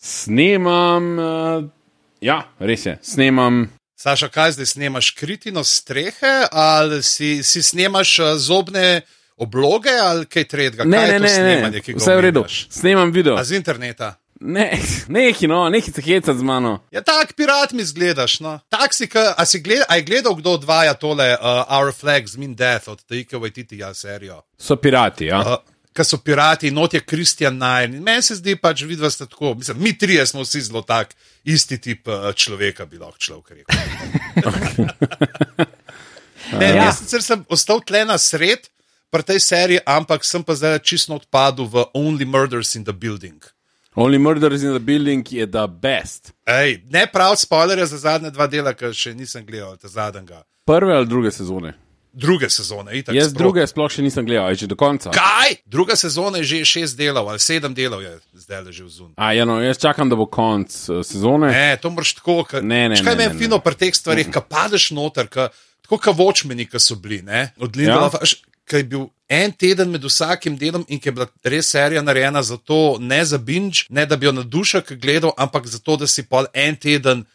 Snemam, res je, snemam. Saša, kaj zdaj snemaš? Kritino strehe ali si snemaš zobne obloge ali kaj tretjega? Ne, vse je v redu. Snemam video. A z interneta? Neki se heca z mano. Ja, tak pirat mi zgledaš, no. A je gledal, kdo odvaja tole Our Flags Mean Death od Taika Waititija serijo? So pirati, ja. Ker so pirati, not je Christian Nair. Meni se zdi pač, vidva ste tako, mislim, mi trije smo vsi zelo tak, isti tip človeka bi lahko človek rekel. Jaz sicer sem ostal tle na sred pri tej seriji, ampak sem pa zdaj čisto odpadel v Only Murders in the Building. Only Murders in the Building je the best. Ej, ne prav spoilerja za zadnje 2 dela, ker še nisem gledal ta zadnjega. Prve ali druge sezone? Druge sezone, itak. Jaz druge sploh še nisem gledal, je že do konca. Kaj? Druga sezona je že 6 delov ali 7 delov je zdaj ležal zun. Jaz čakam, da bo konc sezone. Ne, to moraš tako, kaj meni fino pri teh stvarih, kad padeš noter, tako ka Watchmeni, ka so bili, ne? Od Lindelofa, kaj je bil en teden med vsakim delom in ki je bila res serija narejena za to, ne za binge, ne da bi jo na dušek gledal, ampak za to, da si pol en teden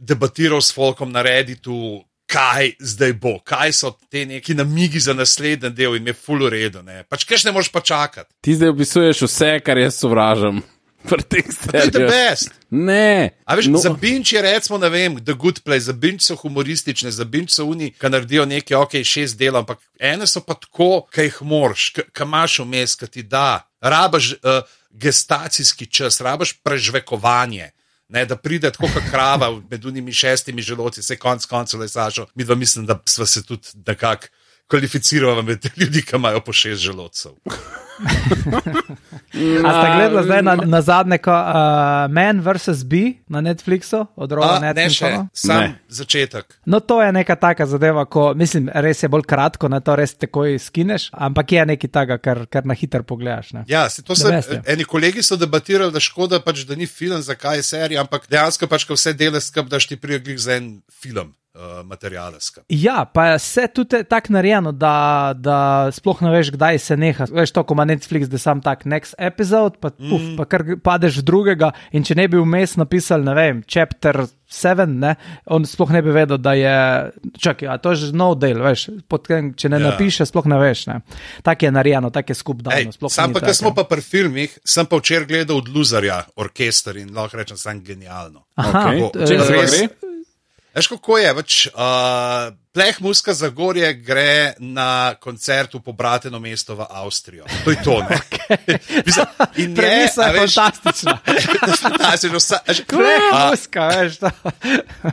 debatiral s folkom na Redditu, kaj zdaj bo, kaj so te neki namigi za naslednji del in me ful v redu, ne. Pač kaj ne moreš pa čakati. Ti zdaj opisuješ vse, kar jaz sovražam. To je the best. Ne. A veš, za binge je recimo, ne vem, The Good Place, za binge so humoristične, za binge so oni, ki naredijo nekaj, 6 delov, ampak ene so pa tako, ki jih moraš, ki imaš vmes, ki ti da, rabaš gestacijski čas, rabaš prežvekovanje, ne, da pride tako kot krava med unimi 6 želodci, se koncev le Sašo, midva mislim, da sva se tudi nekako kvalificirala med ljudi, ki imajo po 6 želodcev. A ste gledali zdaj na zadnje Man vs. Bee na Netflixu? Od Rowan Atkinsona? Sam začetek. No, to je neka taka zadeva, ko, mislim, res je bolj kratko, na to res takoj skineš, ampak je nekaj taga, kar na hiter pogledaš. Ne? Ja, eni kolegi so debatirali, da škoda pač, da ni film, zakaj je serija, ampak dejansko pač, ko vse dele skup, daš ti prijeglih za en film. Materiale skup. Ja, pa je vse tudi tako narejeno, da sploh ne veš, kdaj se neha. Veš to, ko ima Netflix, da sam tak next episode, pa kar padeš v drugega in če ne bi vmes napisal, ne vem, chapter 7, ne, on sploh ne bi vedel, da je, čakaj, a to je že nov del, veš, če ne napiše, sploh ne veš, ne. Tak je narejeno, tak je skup dano. Sam pa, ko smo pa pri filmih, sem pa včeraj gledal od Loserja orkester in lahko rečem, sam genialno. Aha, če se gre? Veš, kako je, Pleh Muska Zagorje gre na koncert v pobrateno mesto v Avstrijo. To je to, ne? Premisa je fantastična. Pleh Muska, veš to.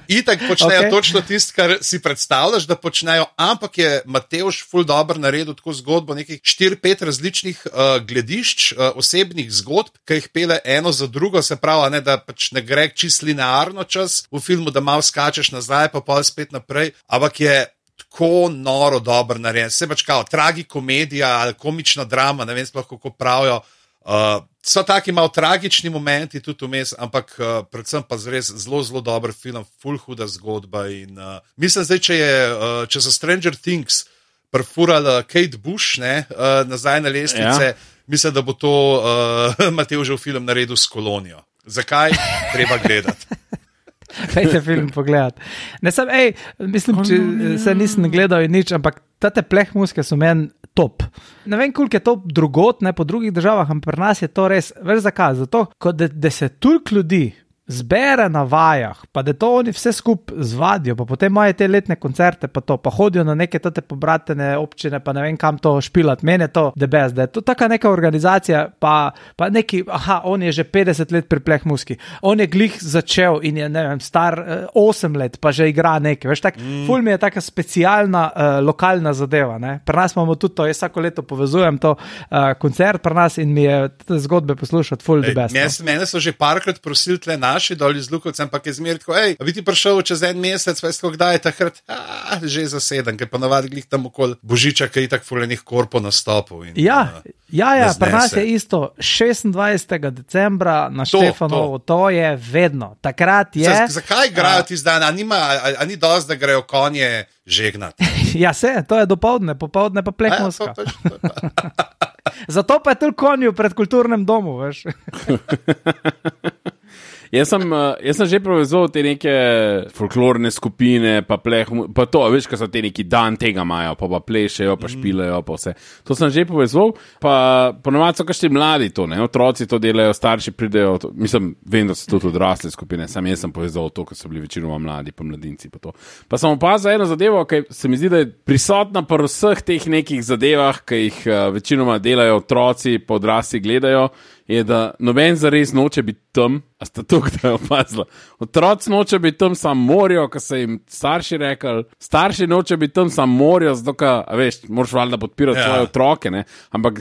Itak počnejo točno tisto, kar si predstavljaš, da počnejo, ampak je Matevž ful dobro naredil tako zgodbo, nekih 4-5 različnih gledišč, osebnih zgodb, ki jih pele eno za drugo, se pravi, ne, da pač ne gre čist linearno čas v filmu, da malo skačeš nazaj, pa pol spet naprej, ampak je tako noro dobro narejen. Se pač kao tragikomedija ali komična drama, ne vem sploh kako pravijo. So taki malo tragični momenti tudi vmes, ampak predvsem pa res zelo dober film, ful huda zgodba in mislim zdaj, če so Stranger Things prefurali Kate Bush, ne, nazaj na lestvice, mislim, da bo to Matevžev film naredil s Kolonijo. Zakaj? Treba gledati. Dajte film pogledati. Ne sem, mislim, če se nisem gledal in nič, ampak tate Pleh Muske so meni top. Ne vem, koliko je to drugot, ne po drugih državah, ampak pri nas je to res, veš zakaj? Zato, da se toliko ljudi zbere na vajah, pa da to oni vse skup zvadijo, pa potem imajo te letne koncerte, pa hodijo na neke tate pobratene občine, pa ne vem kam to špilat. Meni je to the best, da je to taka neka organizacija, pa neki, on je že 50 let pri Pleh Muski, on je glih začel in je, ne vem, star 8 let, pa že igra nekaj, veš, tak, ful mi je taka specialna lokalna zadeva, ne. Pri nas imamo tudi to, jaz vsako leto povezujem to koncert pri nas in mi je te zgodbe poslušati ful the best. Mene so že parkrat prosili tle naši dol iz Lukovcem, ampak je zmer tako, a bi ti prišel čez en mesec, veš, kdaj je takrat, že zaseden, ker pa navadi glih tam okoli Božiča, ki je tak fulenih korpo nastopov. Ja, pri nas je isto, 26. decembra na Štefanovo, to je vedno, takrat je... Zakaj igrajo ti zdaj, a ni dosti, da grejo konje žegnati? Ja, to je dopoldne, popoldne pa Pleh Muska. Zato pa je tudi konju pred kulturnem domu, veš. Jaz sem že povezal te neke folklorne skupine, pa pleh, pa to, veš, ko so te neki dan tega imajo, pa plešejo, pa špilejo, pa vse. To sem že povezal, pa ponovadi so kakšni mladi to, ne, otroci to delajo, starši pridejo, mislim, vem, da so tudi odrasle skupine, sam jaz sem povezal to, ko so bili večinoma mladi, pa mladinci, pa to. Pa sem opazil eno zadevo, ki se mi zdi, da je prisotna pri vseh teh nekih zadevah, ki jih večinoma delajo otroci, pa odrasli gledajo, je, da noben zares noče biti tam, a sta to, kdaj opazila. Otroci noče biti tam, sam morijo, ko so jim starši rekli, starši noče biti tam, sam morijo, zato, a veš, moraš valjda podpirati svoje otroke, ne, ampak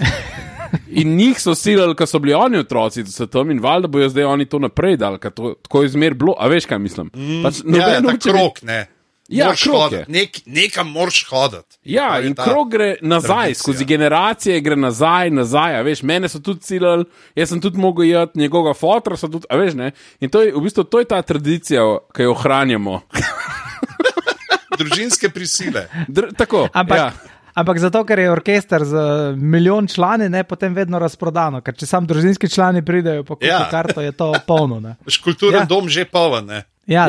in njih so silili, ko so bili oni otroci, da so tam in valjda bojo zdaj oni to naprej dali, ker to tako je zmer bilo, a veš, kaj mislim. Pač, ta krok, ne. Ja, krog je. Nekam moraš hoditi. Ja, in krog gre nazaj, skozi generacije gre nazaj, a veš, mene so tudi cilali, jaz sem tudi mogel jeti, njegovega fotra so tudi, a veš, ne, in to je, v bistvu, to je ta tradicija, ki jo ohranjamo. Družinske prisile. Tako, Ampak zato, ker je orkester z milijon člani, ne, potem vedno razprodano, ker če sam družinski člani pridejo po karto, je to polno, ne. Kulturen dom že poln, ne. Ja,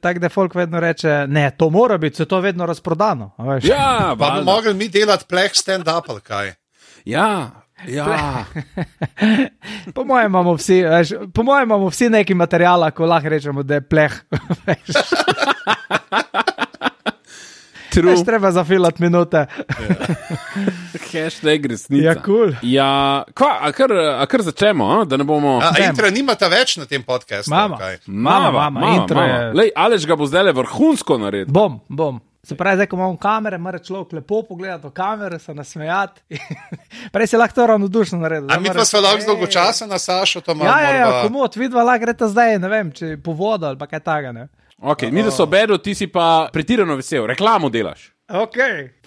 tako da folk vedno reče, ne, to mora biti, se to vedno razprodano. Ja, pa bi mogli mi delati pleh stand-up ali kaj. Ja. Po mojem imamo vsi neki materijala, ko lahko rečemo, da je pleh. Veš, treba zafilati minute. Hashtag resnica. Ja, cool. Ja, kar začnemo, da ne bomo... Intra nimata več na tem podcastu? Mama, intro je... Lej, Aleš ga bo zdaj vrhunsko naredil. Bom. Se pravi, zdaj, ko imamo kamere, mora človek lepo pogledati v kamere, se nasmejati. Prej si lahko to ravnodušno naredil. A mi pa smo lahko dolgo časa na Sašo, to malo Ja, komod, vidva lahko greta zdaj, ne vem, če po vodo ali pa kaj taga, ne. Ok, mi da so bedo, ti si pa pretirano vesel, reklamo delaš. Ok,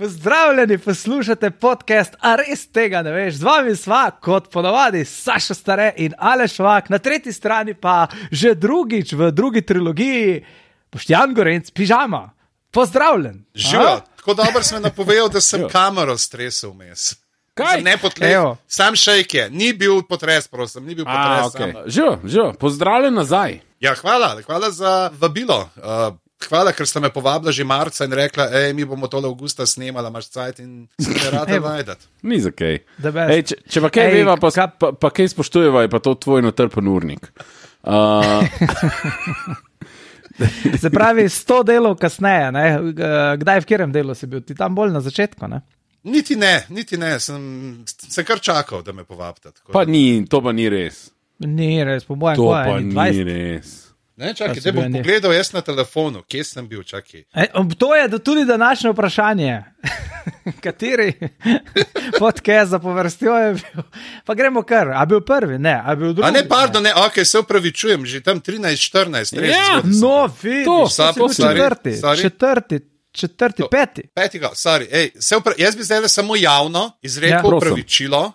pozdravljeni, poslušate podcast, a res tega ne veš, z vami sva, kot ponavadi, Saša Stare in Aleš Vak, na tretji strani pa že drugič v drugi trilogiji Boštjan Gorenc, Pižama. Pozdravljen. Živo, tako dobro sem napovedal, da sem kamero stresel vmes. Kaj? Ne potlej, sam šejk je, ni bil potres, prosim, ni bil potres. Okay. Živo, pozdravljen nazaj. Ja, hvala za vabilo. Hvala, ker ste me povabila že marca in rekla, mi bomo tole avgusta snemala, imaš cajt in se ne rada najdete. Ni za kaj. Če pa kaj veva, pa kaj spoštujeva, je pa to tvoj natrpen urnik. Se pravi, 100 delov kasneje, ne? Kdaj v katerem delu si bil? Ti tam bolj na začetku, ne? Niti ne, sem kar čakal, da me povabite. Pa ni, to pa ni res. Ni res, po mojem, to pa ni res. Ne, čakaj, te bom pogledal jaz na telefonu, kje sem bil, čakaj. To je tudi današnje vprašanje. Kateri podcast za povrstjo je bil? Pa gremo kar, a bil prvi? Ne, a bil drugi? A ne, pardon, ne, ok, se upravičujem, že tam 13-14. Ja, no, vidiš, četrti, peti. Sorry, jaz bi zdaj samo javno izrekel upravičilo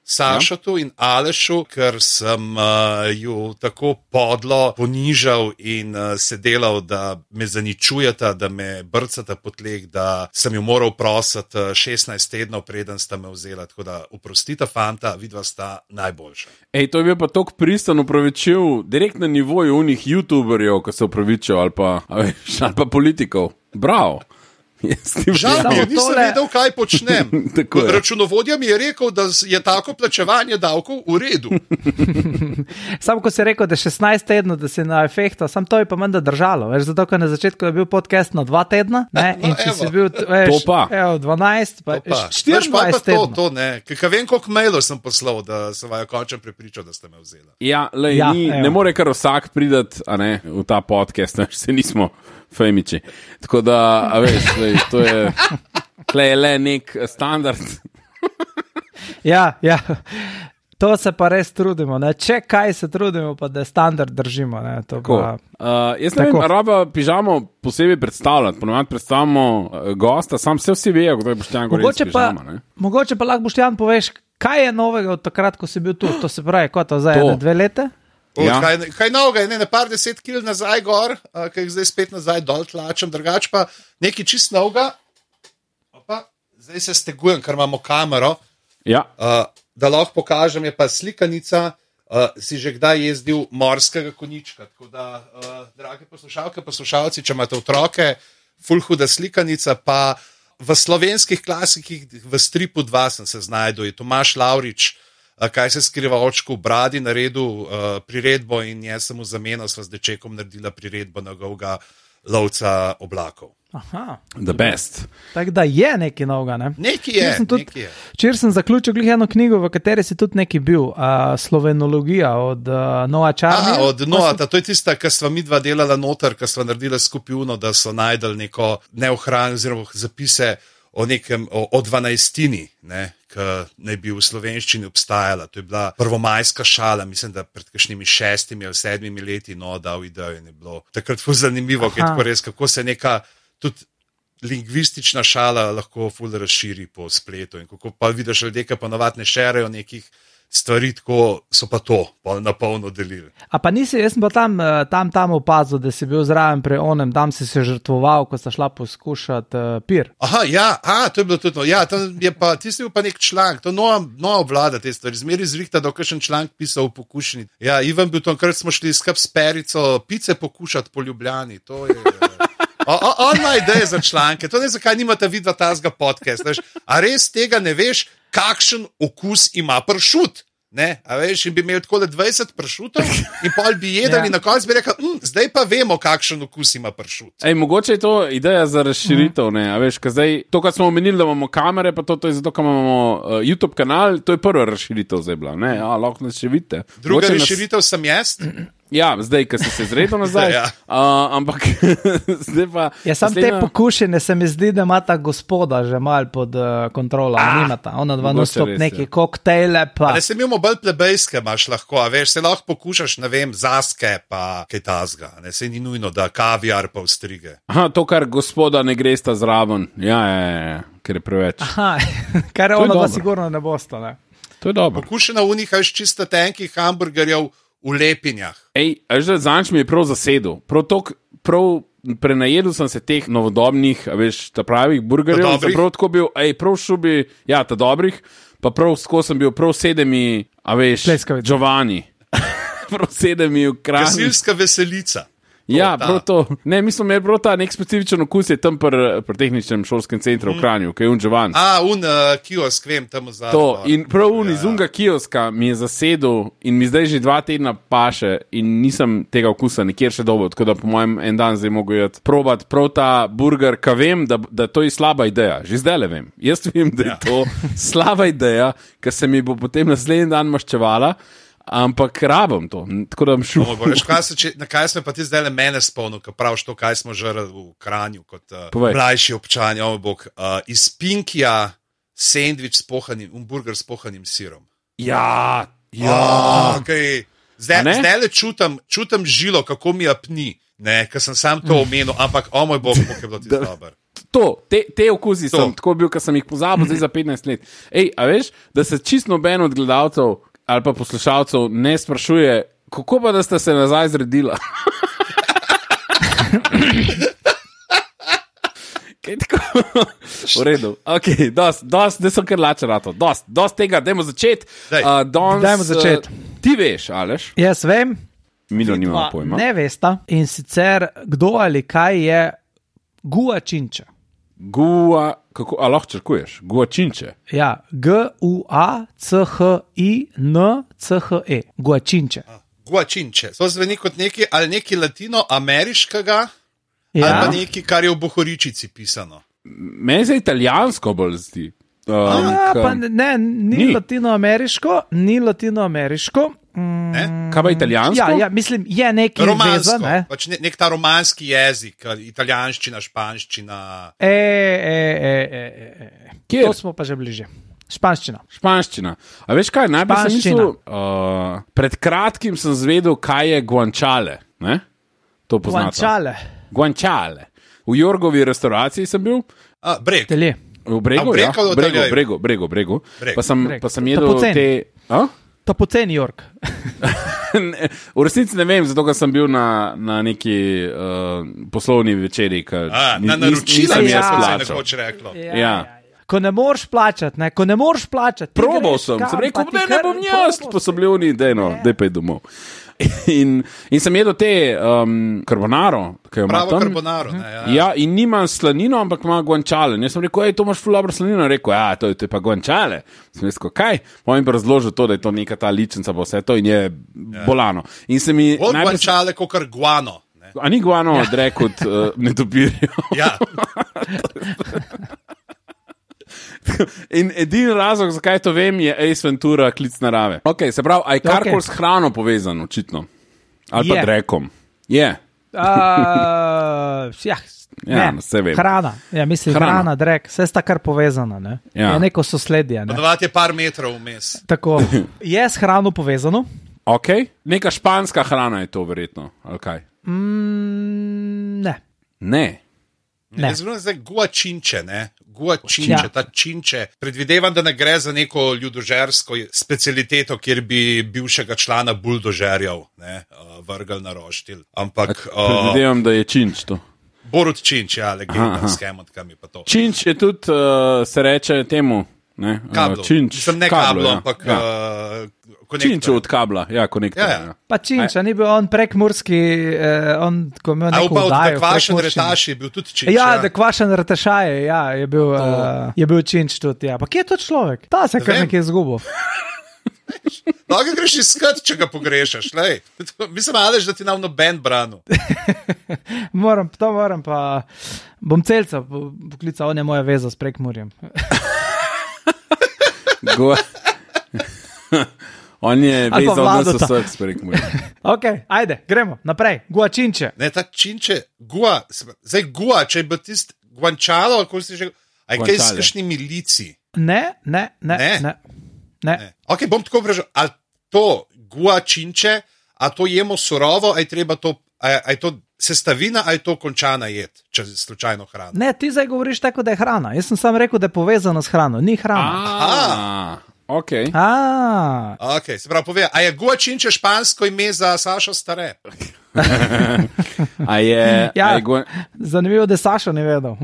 Sašotu in Alešu, ker sem ju tako podlo ponižal in se delal, da me zaničujeta, da me brcata po tleh, da sem ju moral prositi 16 tednov, preden sta me vzela. Tako da oprostite, fanta, vidva sta najboljša. To je bil pa tok pristan upravičil direkt na nivoju unih youtuberjev, ko se upravičil, ali pa politikov. Bravo. Žal mi je, nisem vedel, kaj počnem. Računovodja mi je rekel, da je tako plačevanje davkov v redu. Samo ko si rekel, da 16 tednov, da si na efektu, sam to je pa menda držalo. Veš, zato, ker na začetku je bil podcast na 2 tedna, ne? In če si bil, veš, 12, pa 24 tednov. To ne, ker vem, koliko mailov sem poslal, da sem vaju končno prepričal, da ste me vzela. Ja, ne more kar vsak pridati v ta podcast, ne, se nismo fejmiči. Tako da, a veš, to je le nek standard. Ja, to se pa res trudimo, ne? Če kaj se trudimo, pa da standard držimo. Ne? Jaz ne vem, raba Pižamo posebej predstavljati, ponovadi predstavljamo gosta, sam vsi vejo, kdo je Boštjan Gorenc Pižama. Mogoče pa lahko Boštjan poveš, kaj je novega od takrat, ko si bil tu, to se pravi, kot to zdaj, 2 leta? Ja. Kaj novega, ne par 10 kil nazaj gor, ki jih zdaj spet nazaj dol tlačem, drugače pa nekaj čist novega. Zdaj se stegujem, ker imamo kamero, ja. Da lahko pokažem, je pa slikanica si že kdaj jezdil morskega konjička. Tako da, drage poslušalke, poslušalci, če imate otroke, ful huda slikanica, pa v slovenskih klasikih, v stripu 2 sem se znajdel, je Tomaž Lavrič, kaj se skriva očku v bradi, naredil priredbo in jaz sem v zameno sva z dečekom naredila priredbo na Golga lovca oblakov. Aha. The best. Tako da je nekaj novega, ne? Nekaj je. Včeraj sem zaključil eno knjigo, v kateri si tudi neki bil, Slovenologija od Noa Čarnija. Od Noa, to je tista, ki sva midva delala noter, ki sva naredila skupino, da so najdel neko neohranjeno oziroma zapise o 12-tini, ki naj bi v slovenščini obstajala. To je bila prvomajska šala, mislim, da pred kakšnimi 6 ali 7 leti, dal idejo in je bilo takrat ful zanimivo, kako se neka tudi lingvistična šala lahko ful razširi po spletu in kako pa vidiš ljudje, ki pa navadne šerejo nekih stvari, tako so pa to na polno delili. A pa nisi, jaz sem pa tam opazil, da si bil zraven pri onem, tam si se žrtvoval, ko sta šla poskušati pir. Aha, to je bilo tudi. Ja, tam je pa, ti si bil pa nek članek, to nova vlada te stvari, zmeri zrihta, da kakšen članek pisal v pokušini. Ja, Ivan bil tam, krat smo šli skup s Perico pice pokušati po Ljubljani, to je... On ima ideje za članke, to ne zakaj nimate vidva tazga podcast, veš? A res tega ne veš, kakšen okus ima pršut, ne? A veš, in bi imel tako 20 pršutov in pol bi jedel in na koncu bi rekel, zdaj pa vemo, kakšen okus ima pršut. Mogoče je to ideja za razširitev, ne? A veš, zdaj, to, kar smo omenili, da imamo kamere, pa to je zato, ker imamo YouTube kanal, to je prva razširitev zdaj bila, ne? Lahko nas še vidite. Druga razširitev sem jaz. Ja, zdaj, ko si se zredil nazaj, ampak zdaj pa... Ja, sam te pokušene se mi zdi, da ima ta gospoda že malo pod kontrolo, nimata, ona dva nastop neki koktejle pa... Ne se imamo bolj plebejske, imaš lahko, a veš, se lahko pokušaš, ne vem, zaske pa kaj tazga, ne, se ni nujno, da kaviar pa vstrige. Aha, to, kar gospoda ne gresta zraven, ja, ker je preveč. Aha, kar je ono, da sigurno ne bosta, ne. To je dobro. Pokušena v njih, až čisto tenkih hamburgerjev, v lepinjah. Zanč mi je prav zasedel. Prav prenajedel sem se teh novodobnih, veš, ta pravih burgerjev. Prav tako bil, prav šubi, ja, ta dobrih, pa prav skozi sem bil prav 7, a veš, Giovanni. Prav 7 v Kranju. Gasilska veselica. Ja, prav to. Ne, mislim, je prav ta nek specifičen okus je tam pri tehničnem šolskem centru v Kranju, ki je Giovanni. Kiosk, vem, tam zadaj. To, in prav iz unga kioska mi je zasedel in mi zdaj že 2 tedna paše in nisem tega okusa nikjer še dobil, tako da po mojem en dan zdaj mogo jeti probat prav ta burger, ka vem, da to je slaba ideja. Že zdaj le vem. Jaz vem, da je to slaba ideja, ker se mi bo potem naslednji dan maščevala, ampak rabim to, tako da bom šel. Na kaj smo pa ti zdaj le mene spomnil, ko praviš to, kaj smo žrli v Kranju kot mlajši občani, iz Pinkija sendvič s pohanim, burger s pohanim sirom. Ja. Okay. Zdaj le čutam žilo, kako mi apni, ker sem sam to omenil, ampak moj bog, kako je bilo ti dober. Te okusi sem tako bil, ker sem jih pozabil zdaj za 15 let. A veš, da se čisto noben od gledalcev ali pa poslušalcev ne sprašuje, kako pa da ste se nazaj zredila? Kaj tako? V redu. Ok, dost, da sem kar lačen rato. Dost tega, dajmo začeti. Dajmo začeti. Ti veš, Aleš? Jaz vem. Milo nima pojma. Ne vesta. In sicer, kdo ali kaj je guačinče. A lahko črkuješ? Guačinče. Ja, Guacinche. Guačinče. Guačinče. To zveni kot neki latinoameriškega, ali pa neki, kar je v bohoričici pisano. Meni se italijansko bolj zdi. Ni latinoameriško. Kaj pa italijansko? Ja, mislim, je nekaj romansko, pač nek ta romanski jezik, italijanščina, španščina. To smo pa že bliže. Španščina. A veš kaj, najprej sem mislil, pred kratkim sem zvedel, kaj je guanciale. Ne? To poznate. Guanciale. V Jorgovi restauraciji sem bil. Breg. V Bregu. Pa sem jedel te... To poceni Jork. V resnici ne vem, zato ker sem bil na neki poslovni večeri. Na naročila se nekoč reklo. Ja. ko ne moreš plačati, ne, ko ne moreš plačati. Probal sem rekel, ne bom jaz, pa so bili oni, daj pa je domov. In sem jedel te carbonaro, ki jo ima tam. Pravo carbonaro, ne, Ja, in nima slanino, ampak ima guanciale. Jaz sem rekel, to imaš ful dobro slanino. Rekel, to je pa guanciale. Sem rekel, kaj? Moj mi pa razložil to, da je to neka ta ličnica, pa vse to in je bolano. In se mi bolj guanciale kot kar guano. Ne. A ni guano drek kot netopirjo? Ja. In edini razlog, zakaj to vem, je Ace Ventura, klic narave. Ok, se pravi, a je karkoli s hrano povezan, očitno? Ali pa drekom? Je. Vse vem. Hrana, mislim, hrana, drek, vse sta kar povezana, ne? Ja. Je neko sosledje, ne? Podavati je par metrov vmes. Tako, je s hrano povezano? Ok, neka španska hrana je to verjetno, ali kaj? Ne. Ne. Ne. Zelo je zdaj guačinče, ne? Guačinče, ta činče. Predvidevam, da ne gre za neko ljudožersko specialiteto, kjer bi bivšega člana buldožerjev vrgel na roštilj. Ampak predvidevam, da je činč to. Borut Činč, ja, legenda s kemotkami pa to. Činč je tudi, se reče temu, ne? Kablo. Činč. Sem ne kablo, ampak Činč od kabla, konektor. Ja. Pa Činč, ni bil on prekmurski, on, ko imel neko vdajo. Da Kvašen Retaš je bil tudi Činč. Ja, da Kvašen Retašaj, je bil Činč tudi, ja. Pa kje je to človek? Ta se kar nekaj izgubil. Lahko greš iskat, če ga pogrešaš, lej. Mislim, Aleš, da ti nam noben branu. moram, pa bom celca poklical, on je moja veza s Prekmurjem. On je vezal nas vseh s Prekmurjem. Ok, ajde, gremo naprej. Guačinče. Ne, ta činče, zdaj gua, če je bil tisti guančalo, ali ko si že, aj kaj s kakšnimi lici? Ne. Ok, bom tako vprašal, ali to guačinče, a to jemo surovo, a je treba to, a je to sestavina, a je to končana jed, če je slučajno hrana? Ne, ti zdaj govoriš tako, da je hrana. Jaz sem samo rekel, da je povezano s hrano, ni hrana. Ok. Ok, se pravi, povej, a je guačinče špansko ime za Sašo Stare? Zanimivo, da Sašo ne vedel.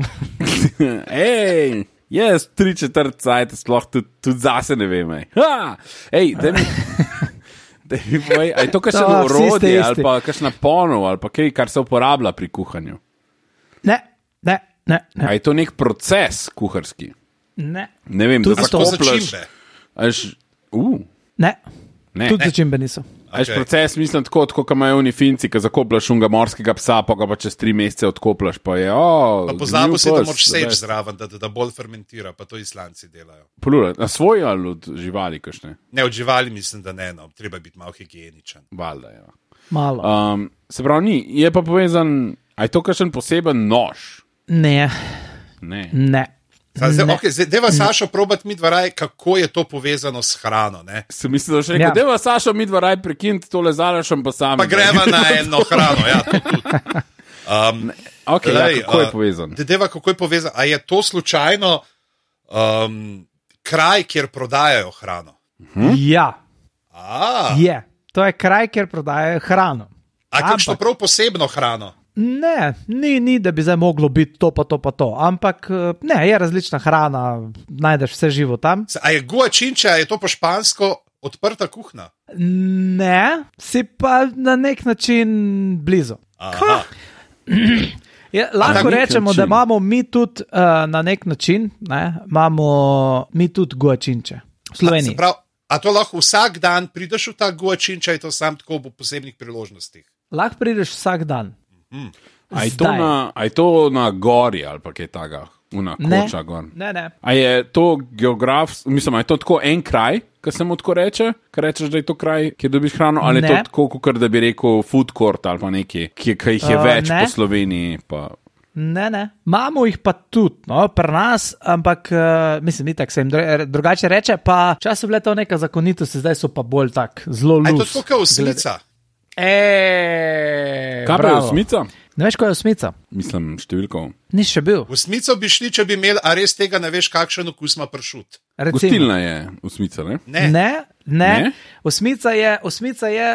Ej, jaz 3/4 cajt sploh tudi zase ne vem. Ej, da mi povej, a je to kakšno orodje ali pa kakšna ponov ali pa kaj, kar se uporablja pri kuhanju? Ne. A je to nek proces kuharski? Ne. Ne vem, da zakopljaš. Ne. Tudi začimbe niso. Ajš proces, mislim, tako kot imajo oni Finci, ki zakopljaš unga morskega psa, pa ga pa čez 3 mesece odkopljaš, pa je, pa pozabil si, da moraš seč zraven, da bolj fermentira, pa to Islanci delajo. Plura, na svoj ali od živali kakšne? Ne, od živali mislim, da ne, no, treba biti malo higieničen. Valjda, ja. Malo. Se pravi, ni, je pa povezan, a je to kakšen poseben nož? Ne. Zdaj, deva Sašo probati mi dvaraj, kako je to povezano s hrano, ne? Se mislim, da še rekel, deva Sašo mi dvaraj prekinti tole zalašem pa sami. Pa greva na eno hrano, ja, to tudi. Ok, kako je povezan? Deva, kako je povezan? A je to slučajno kraj, kjer prodajajo hrano? Ja. Je. To je kraj, kjer prodajajo hrano. A kakšno prav posebno hrano? Ne, ni, da bi zdaj moglo biti to, pa to. Ampak ne, je različna hrana, najdeš vse živo tam. A je guačinče, a je to po špansko odprta kuhna? Ne, si pa na nek način blizu. Lahko rečemo, da imamo mi tudi na nek način, imamo mi tudi guačinče v Sloveniji. A to lahko vsak dan prideš v ta guačinče, je to sam tako v posebnih priložnostih? Lahko prideš vsak dan. A je to na gori ali pa kaj taga? Koča gor? Ne. A je to geografsko, mislim, je to tako en kraj, ki se mu tako reče, ker rečeš, da je to kraj, kjer dobiš hrano, ali je to tako, kot da bi rekel food court ali pa nekaj, ki jih je več po Sloveniji? Pa... Ne. Imamo jih pa tudi, pri nas, ampak mislim, ni tako se jim drugače reče, pa čas so bile to neka zakonitost, zdaj so pa bolj tak, zelo lus. A je to tako kot osmica? Kaj pa je osmica? Ne veš, kaj je osmica? Mislim, številko. Nis še bil. V smico bi šli, če bi imeli, a res tega ne veš, kakšen okus ima pršut. Gostilna je osmica, ne? Ne. Osmica je,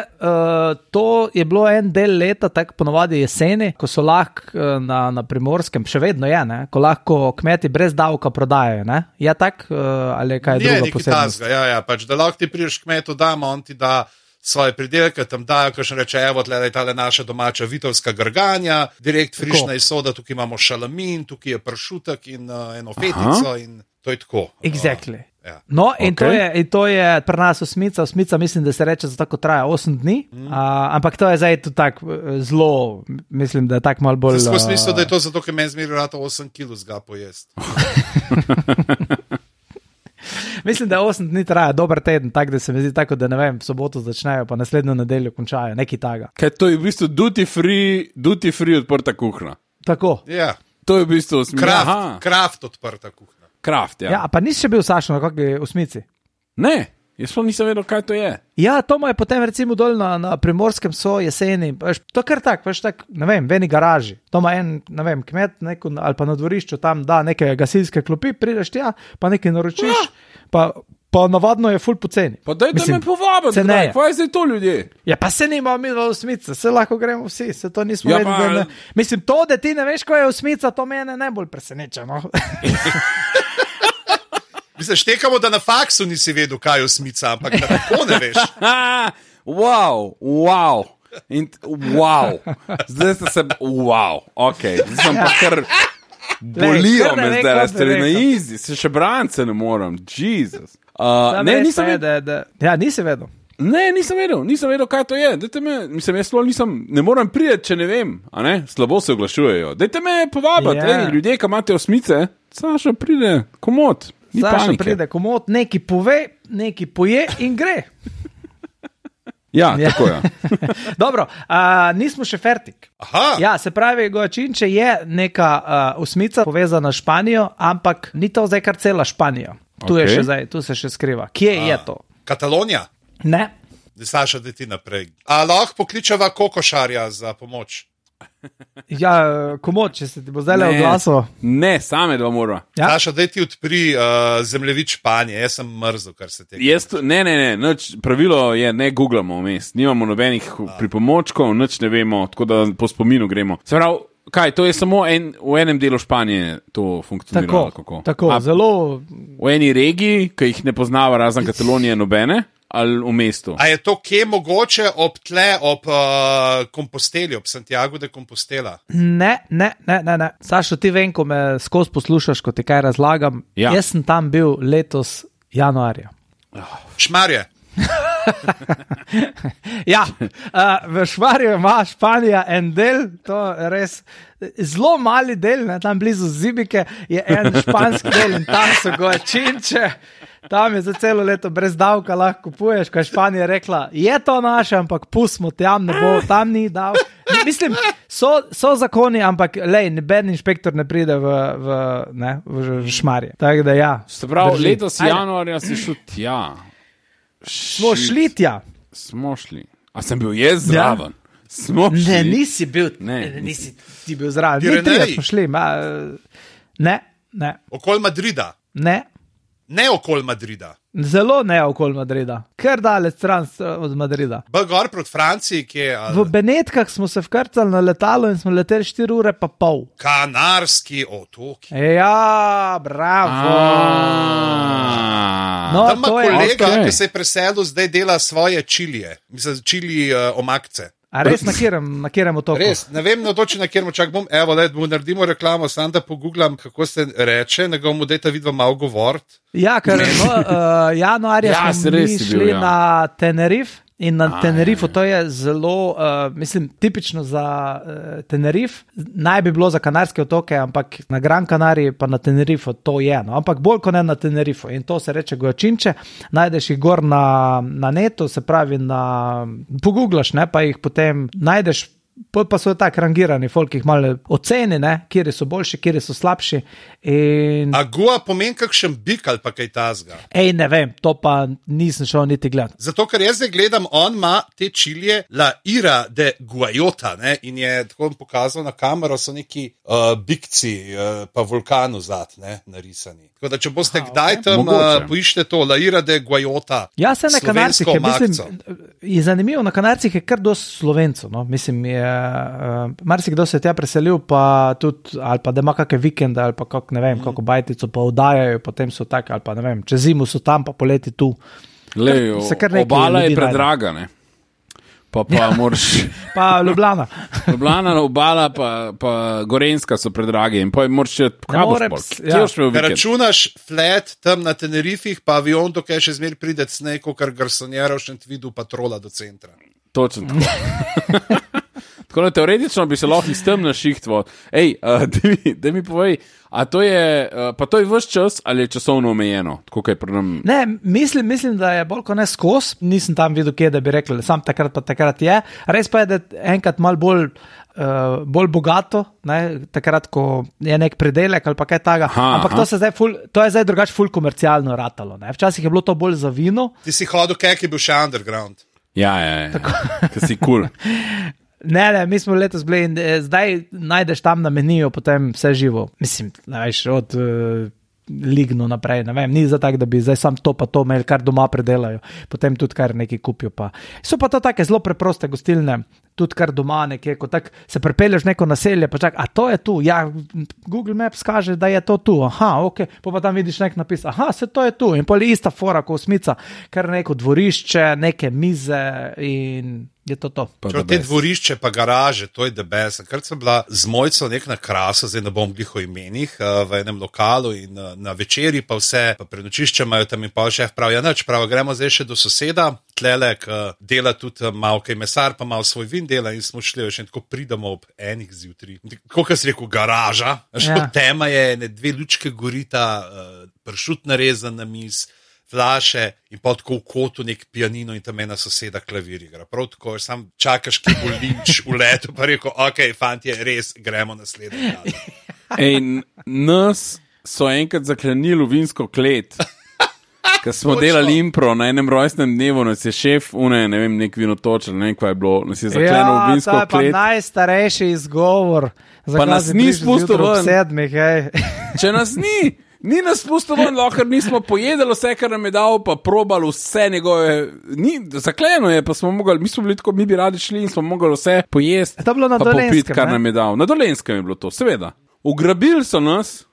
to je bilo en del leta, tako ponovadi jeseni, ko so lahko na Primorskem, še vedno je, ne? Ko lahko kmeti brez davka prodajajo, ne? Je tak, ali kaj druga posebnost? Ja, pač, da lahko ti priješ kmetu dama, on ti da svoje pridelke, tam dajo, ko še reče, evo, tle je tale naša domača vitovska grganja, direkt frišna iz soda, tukaj imamo šalamin, tukaj je pršutek in eno fetico in to je tako. Exactly. Ja. No, in to je pri nas osmica. Osmica mislim, da se reče za tako traja 8 dni, ampak to je zdaj tudi tako zelo, mislim, da je tako malo bolj... Zdaj smo smislili, da je to zato, ker meni zmeri rata 8 kg zga pojest. Mislim, da 8 dni traja dober teden, tako da se mi zdi tako, da ne vem, v soboto začnejo, pa naslednjo nedeljo končajo, nekaj taga. Kaj to je v bistvu duty free odprta kuhna? Tako. Ja. To je v bistvu osmica. Kraft odprta kuhna. Kraft, ja. Ja, pa nisi še bil, Sašo, na kakšni osmici? Ne, jaz pa nisem vedel, kaj to je. Ja, to mu je potem recimo dol na Primorskem so jeseni, to kar tako, ne vem, v eni garaži. To ima en, ne vem, kmet ali pa na dvorišču tam da neke gasilske klopi, prideš tja, pa nekaj naročiš, pa navadno je ful poceni. Pa dajte me povabiti, kaj je zdaj to ljudje? Ja, pa se nima mi v osmica, se lahko gremo vsi, se to nismo vedeli. Mislim, to, da ti ne veš, kaj je osmica, to mene najbolj preseneča, no. Mislim, štekamo, da na faksu nisi vedel, kaj je osmica, ampak da tako ne veš. Wow. Zdaj ste se, ok, zdaj sem pa kar bolijo me zdaj, da ste na izi, se še brance ne moram, Jesus. Ne, nisem vedel. Ja, nisi vedel. Ne, nisem vedel, kaj to je. Mislim, jaz ne moram priti, če ne vem, a ne, slabo se oglašujejo. Dajte me povabiti, ljudje, ki imate osmice, Saša pride, komod. Saša pride komod, neki pove, neki poje in gre. Ja, tako je. Dobro, nismo še fertik. Aha. Ja, se pravi, Goačinče je neka osmica povezana s Španijo, ampak ni to zdaj kar cela Španija. Tu je še zdaj, tu se še skriva. Kje je to? Katalonija? Ne. Saša, da ti naprej. A lahko pokličeva kokošarja za pomoč? Ja, komod, če se ti bo zdaj le oglasil. Ne, same dva mora. Ja? Saša, daj ti odpri zemljevid Španije, jaz sem mrzel, kar se tega. Ne, pravilo je, ne googlamo vmes, nimamo nobenih pripomočkov, nič ne vemo, tako da po spominu gremo. Se pravi, kaj, to je samo v enem delu Španije to funkcionira? Tako, zelo... V eni regiji, ki jih ne poznava razen Katalonije nobene? Ali v mestu. A je to kje mogoče ob Komposteli, ob Santiago de Compostela? Ne. Sašo, ti vem, ko me skozi poslušaš, ko ti kaj razlagam. Ja. Jaz sem tam bil letos januarja. Šmarje. Ja, v Šmarju ima Španija en del, to je res zelo mali del, ne, tam blizu Zibike je en španski del in tam so Goačinče. Tam je za celo leto brez davka lahko kupuješ, ko je Španija rekla, je to naše, ampak pustimo, tam ne bo, tam ni dav. Mislim, so zakoni, ampak lej, noben inšpektor ne pride v Šmarje. Tako da ja. Se pravi, letos januarja si šel tja. Smo šli tja. Smo šli. A sem bil jaz zraven? Smo šli. Ne, nisi bil, nisi ti bil zraven. Mi trije smo šli. Ne. Okoli Madrida? Ne. Ne okoli Madrida. Zelo ne okoli Madrida. Ker daleč stran od Madrida. Gor proti Franciji, kje je? V Benetkah smo se vkrcali na letalo in smo leteli 4 ure pa pol. Kanarski otoki. Ja, bravo. No, tam ima kolega, ki se je preselil, zdaj dela svoje čilije. Mislim, čili omakce. A res na kjerem otoku? Res, ne vem na kjerem, čak bom, evo, naredimo reklamo, sam da pogooglam, kako se reče, nego mu dejta vidva malo govoriti. Ja, ker januarja smo mi šli na Tenerife in na Tenerifo to je zelo, mislim, tipično za Tenerife, naj bi bilo za Kanarske otoke, ampak na Gran Canariji pa na Tenerifo to je, no, ampak bolj kot ne na Tenerifo in to se reče Goačinče, najdeš jih gor na netu, se pravi pogooglaš, ne, pa jih potem najdeš pa so tako rangirani, folk jih malo oceni, kjeri so boljši, kjeri so slabši. A Gua pomeni kakšen bik ali pa kaj tazga? Ne vem, to pa nisem šel niti gledati. Zato, ker jaz zdaj gledam, on ima te čilije La Ira de Guayota, ne? In je tako pokazal na kamero, so neki bikci, pa vulkanu zad, narisani. Tako da, če boste kdaj tam, poiščite to, La Ira de Guayota. Ja, se na Kanarcih je, mislim, je zanimivo, na Kanarcih je kar dosti Slovencev, no? Mislim, marsikdo se je tja preselil, pa tudi, ali pa da ima kakšne vikende, ali pa ne vem, kako bajtico pa vdajajo, potem so tak, ali pa ne vem, čez zimu so tam, pa poleti tu. Lejo, obala je predraga, ne? Pa moraš... Pa Ljubljana. Ljubljana, obala, pa Gorenjska so predrage in pa moraš računaš flat tam na Tenerifih, pa avion, dokaj še zmer pride sneko, kar garsonjera v Šentvidu patrola do centra. Točno tako. Tako da teoretično bi se lahko iz tem našihtvo. Da mi povej, a to je, pa to je vse čas ali je časovno omejeno? Tako kaj pri nam... Ne, mislim, da je bolj kot ne skos. Nisem tam videl, kje, da bi rekli, sam takrat pa takrat je. Res pa je, da enkrat malo bolj bogato, takrat, ko je nek predelek ali pa kaj taga. Ampak to je zdaj drugače ful komercialno ratalo. Včasih je bilo to bolj za vino. Ti si hodil, kak je bil še underground. Ja, ki si cool. Ne, mi smo letos bili in zdaj najdeš tam na meniju potem vse živo. Mislim, veš, od Ligno naprej, ne vem, ni za tak, da bi zdaj sam to pa to imeli, kar doma predelajo, potem tudi kar nekaj kupijo pa. So pa to take zelo preproste gostilne, tudi kar doma nekje, ko tak se prepelješ neko naselje, pa čak, a to je tu, ja, Google Maps kaže, da je to tu, ok, pa tam vidiš nek napis, se to je tu, in pol ista fora, ko Osmica, kar neko dvorišče, neke mize in... je to. Te dvorišče pa garaže, to je debes. Kar sem bila z Mojco nek na Krasu, zdaj ne bom glih o imenih, v enem lokalu in na večeri pa vse, pa prenočišče imajo tam in pa šef pravi, gremo zdaj še do soseda, tlelek dela tudi malo kaj mesar, pa malo svoj vin dela in smo šli, še tako pridemo ob enih zjutraj. Kako si rekel, garaža, tema je, dve lučke gorita, pršut narezan na miz, flaše in pa tako v kotu nek pianino in tam ena soseda klavir igra. Prav tako, sam čakaš, ki bo linč v letu, pa rekel, ok, fantje, res, gremo naslednji dan. In nas so enkrat zaklenili v vinsko klet, ker smo delali impro na enem rojstnem dnevu, nas je šef, ne vem, nek vinotočar, ne vem, kaj je bilo, nas je zaklenil v vinsko klet. Ja, to je pa najstarejši izgovor. Pa nas ni spustil ven. Če nas ni nas spustil ven, ker nismo pojedali vse, kar nam je dal, pa probali vse njegove, zakleno je, pa smo mogli, mi bi radi šli in smo mogli vse pojesti, pa popiti, kar nam je dal. Na Dolenjskem je bilo to, seveda. Ugrabili so nas,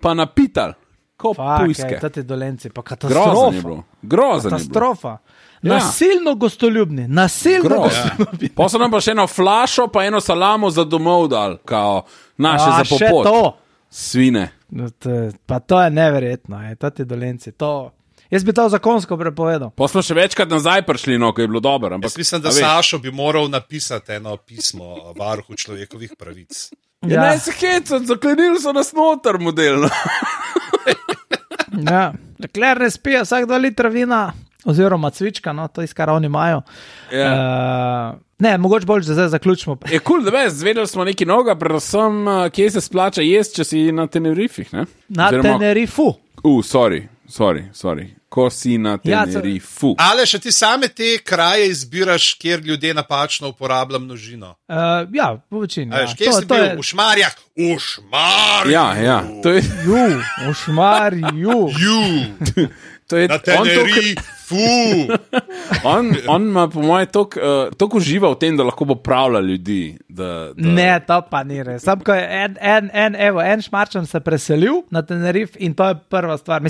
pa napitali, kot pujske. Tati Dolenci, pa katastrofa. Grozan je bilo. Nasilno gostoljubni, gostoljubni. Pa so nam pa še eno flašo, pa eno salamo za domov dal, kao naše za popot. Še to. Svine. Pa to je neverjetno, tati Dolenci, to... Jaz bi to zakonsko prepovedal. Pa smo še večkrat nazaj prišli, ko je bilo dobro. Jaz mislim, da Sašo bi moral napisati eno pismo varuhu človekovih pravic. Ne se hecati, zaklenili so nas noter modelno. Ja, dokler ne spije vsak 2 litra vina, oziroma cvička, to iz kar oni imajo. Ne, mogoče bolj, da zdaj zaključimo. Je cool, da veš, zvedeli smo nekaj novega, predvsem, kje se splača jesti, če si na Tenerifih, ne? Na Tenerifu. Sorry. Ko si na Tenerifu. Ale še ti same te kraje izbiraš, kjer ljudje napačno uporabljajo množino? Ja, v večini. Kje si bil? V Šmarjah? V Šmarju! Ja, to je... v Šmarju! Na Tenerifu! On ima po moje toliko uživa v tem, da lahko popravlja ljudi. Ne, to pa ni res. Sam, ko je en Šmarčan se preselil na Tenerif in to je prva stvar,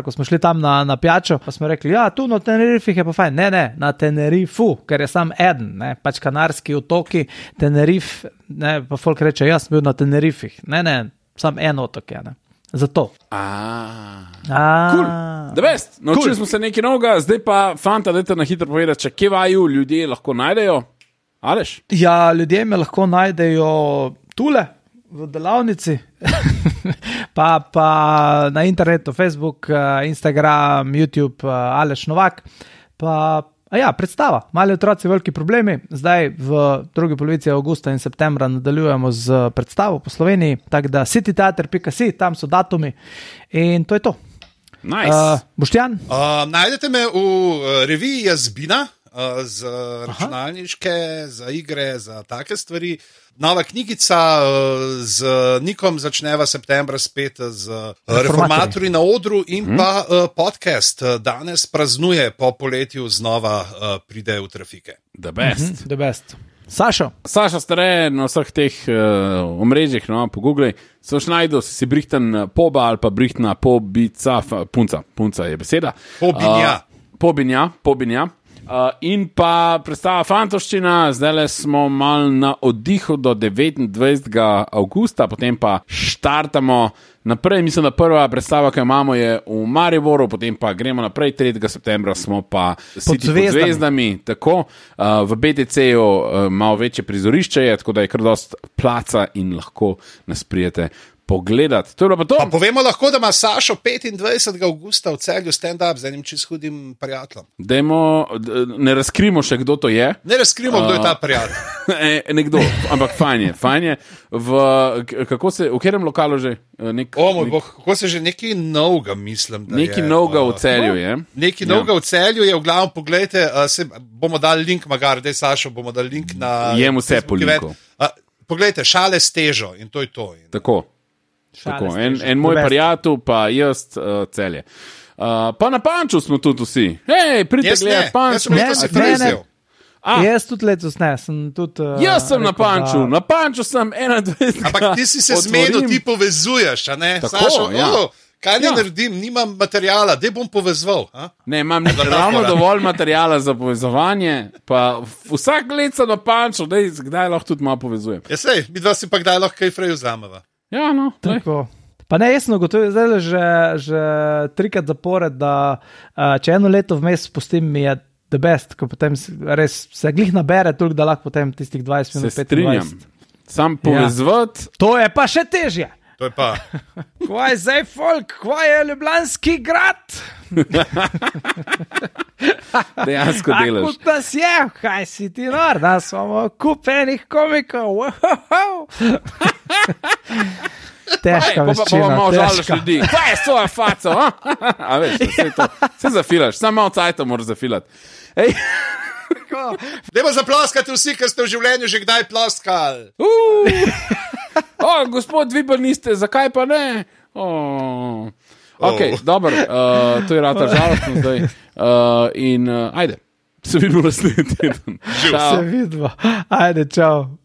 ko smo šli tam na pijačo, pa smo rekli, ja, tu na Tenerifih je pa fajn. Ne, na Tenerifu, ker je sam eden, pač Kanarski otoki, Tenerif, pa folk reče, jaz sem bil na Tenerifih. Ne, sam en otok je, zato. Cool. Da vest, naučili smo se nekaj novega, zdaj pa fanta, dajte na hitro povedati, če kje vaju ljudje lahko najdejo. Aleš? Ja, ljudje me lahko najdejo tule, v delavnici, pa na internetu, Facebook, Instagram, YouTube, Aleš Novak, pa predstava. Mali otroci, veliki problemi. Zdaj v drugi polovici avgusta in septembra nadaljujemo z predstavo po Sloveniji, tako da cityteater.si, tam so datumi in to je to. Nice. Boštjan? Najdete me v reviji Jazbina, za računalniške, za igre, za take stvari. Nova knjigica z Nikom začneva septembra spet z Reformatorji na odru in pa podcast danes praznuje po poletju znova pride v trafike. The best. The best. Sašo Stare na vseh teh omrežjih, pogooglej, so najdel, si brihten poba ali pa brihtna pobica, punca je beseda. Pobinja. In pa predstava Fantoščina, zdaj smo mal na oddihu do 29. avgusta, potem pa štartamo naprej. Mislim, da prva predstava, ki jo imamo, je v Mariboru, potem pa gremo naprej, 3. septembra smo pa pod zvezdami. Tako, v BTC-ju malo večje prizorišče je, tako da je kar dost placa in lahko nas prijete pogledati. To je bilo pa to. Pa povemo lahko, da ima Sašo 25. avgusta v Celju stand-up z enim čisto hudim prijateljem. Ne razkrimo še, kdo to je. Ne razkrimo, kdo je ta prijatelj. Nekdo, ampak fajn je. V katerem lokalu že? Kako se že nekaj novega, mislim, da nekaj novega v Celju je. Nekaj novega v Celju je, v glavu pogledajte, bomo dali link, daj Sašo, bomo dali link na... Jem vse po linku. Poglejte, šale s težo in to je to. Tako. En moj prijatelj, pa jaz Celje. Pa na Panču smo tudi vsi. Hej, pridite gledati Panču. Jaz tudi letos ne, sem tudi... Jaz sem na Panču, na Panču sem 21. Ampak ti si se zmenil, ti povezuješ, a ne? Tako, Sašo, ja. Kaj ne naredim, nimam materijala, dej bom povezval. Ne, imam ravno dovolj materijala za povezovanje, pa vsak let sem na Panču, kdaj lahko tudi malo povezujem. Ja sej, mi dva si pa kdaj lahko kaj frej vzameva. Ja, no. Tako. Pa ne, jaz sem ugotovil, zdaj že 3krat zapored, da če eno leto vmes spustim, mi je the best, ko potem res se glih nabere toliko, da lahko potem tistih 20 minut, 25. Se strinjam. Sam povezvat. Ja. To je pa še težje. To je pa. Kvaj zdaj folk, kvaj je Ljubljanski grad? Dejansko delaš. Kot nas je, kaj si ti nor, da smo kupenih komikov. Težka veščina. Pa malo žališ ljudi. Kaj je svoja faca? A veš, vse zafilaš, samo malo cajta moraš zafilati. Ej. Dajmo zaploskati vsi, ki ste v življenju že kdaj ploskali. Gospod, vi pa niste, zakaj pa ne? Ok, dobro, to je rata žalostno zdaj. In ajde, se vidimo naslednji teden. Se vidimo, ajde, čau.